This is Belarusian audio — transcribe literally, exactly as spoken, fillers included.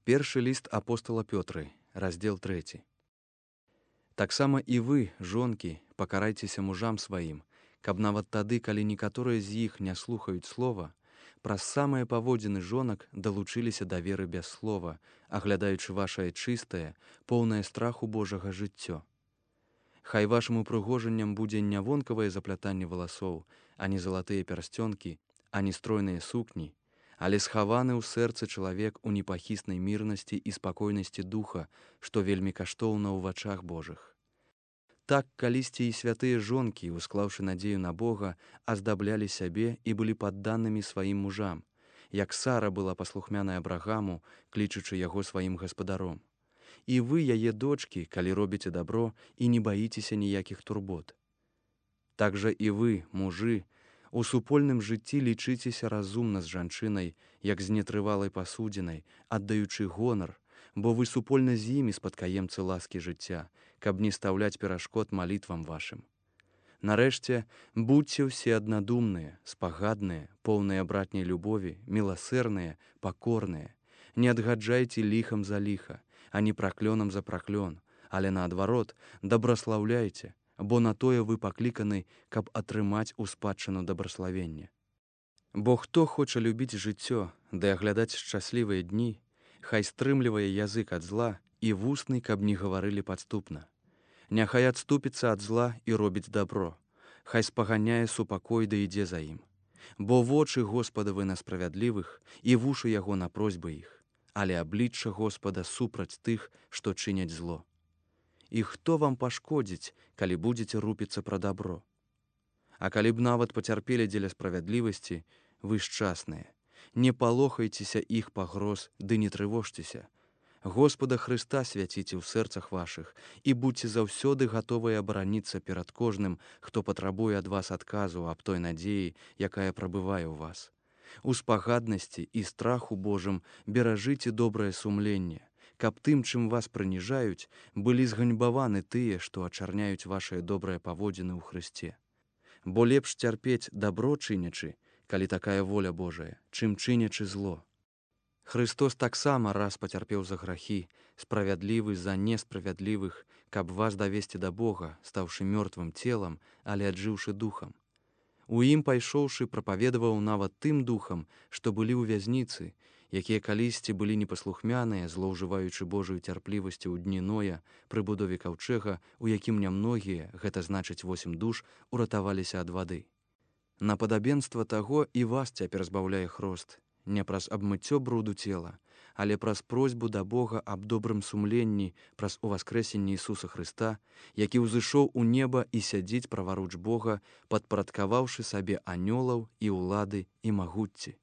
Першы ліст апостала Пётры, раздзел трэці. Таксама і вы, жонкі, пакарайцеся мужам сваім, каб нават тады, калі некаторыя з іх не слухаюць слова, праз самыя паводзіны жонак далучыліся да веры без слова, аглядаючы вашае чыстае, поўнае страху Божага жыццё. Хай вашым упрыгожаннем будзе не вонкавае заплятанне валасоў, ані залатыя пярсцёнкі, ані стройныя сукні, але схаваны ў сэрцы чалавек у непахіснай мірнасці і спакойнасці духа, што вельмі каштоўна ў вачах Божых. Так калісьці і святыя жонкі, усклаўшы надзею на Бога, аздаблялі сябе і былі падданымі сваім мужам, як Сара была паслухмянай Абрагаму, клічучы яго сваім гаспадаром. І вы, яе дочкі, калі робіце дабро і не баіцеся ніякіх турбот. Так жа і вы, мужы, у супольным жыцці лічыцеся разумна з жанчынай, як з нетрывалай пасудзінай, аддаючы гонар, бо вы супольна з імі спадкаемцы ласкі жыцця, каб не стаўляць перашкод малітвам вашым. Нарэшце, будзьце ўсе аднадумныя, спагадныя, поўныя братняй любові, міласэрныя, пакорныя. Не адгаджайце ліхам за ліха, ані праклёнам за праклён, але наадварот, дабраслаўляйце, бо на тое вы пакліканы, каб атрымаць у спадчыну дабраславенне. Бо хто хоча любіць жыццё, ды аглядаць шчаслівыя дні, хай стрымлівае язык ад зла і вусны, каб не гаварылі падступна. Няхай адступіцца ад зла і робіць дабро, хай спаганяе супакой да ідзе за ім. Бо вочы Господавы на справядлівых і вушы яго на просьбы іх, але аблічча Господа супраць тых, што чыняць зло. І хто вам пашкодзіць, калі будзеце рупіцца пра дабро? А калі б нават пацярпелі дзеля справядлівасці, вы шчасныя. Не палохайцеся іх пагроз, ды не трывожцеся. Господа Хрыста свяціце ў сэрцах вашых і будьце заўсёды гатовыя абараніцца перад кожным, хто патрабуе ад вас адказу аб той надзеі, якая прабывае ў вас. У спагаднасці і страху Божым беражыце добрае сумленне, каб тым, чым вас прыніжаюць, былі зганьбаваны тыя, што ачарняюць вашыя добрыя паводзіны ў Хрысце. Бо лепш цярпець дабро чынячы, калі такая воля Божая, чым чынячы зло. Хрыстос таксама раз пацярпеў за грахі, справядлівы за несправядлівых, каб вас давесці да Бога, стаўшы мёртвым целам, але аджыўшы духам. У ім пайшоўшы прапаведаваў нават тым духам, што былі ў вязніцы, якія калісьці былі непаслухмяныя, злоўжываючы Божаю цярплівасцю ў дні Ноя пры будове каўчэга, у якім нямногія, гэта значыць восем душ, уратаваліся ад вады. На падабенства таго і вас цяпер збаўляе хрост, не праз абмыццё бруду цела, але праз просьбу да Бога аб добрым сумленні, праз уваскрэсенне Ісуса Хрыста, які ўзышоў у неба і сядзіць праваруч Бога, падпарадкаваўшы сабе анёлаў і ўлады і магуцці.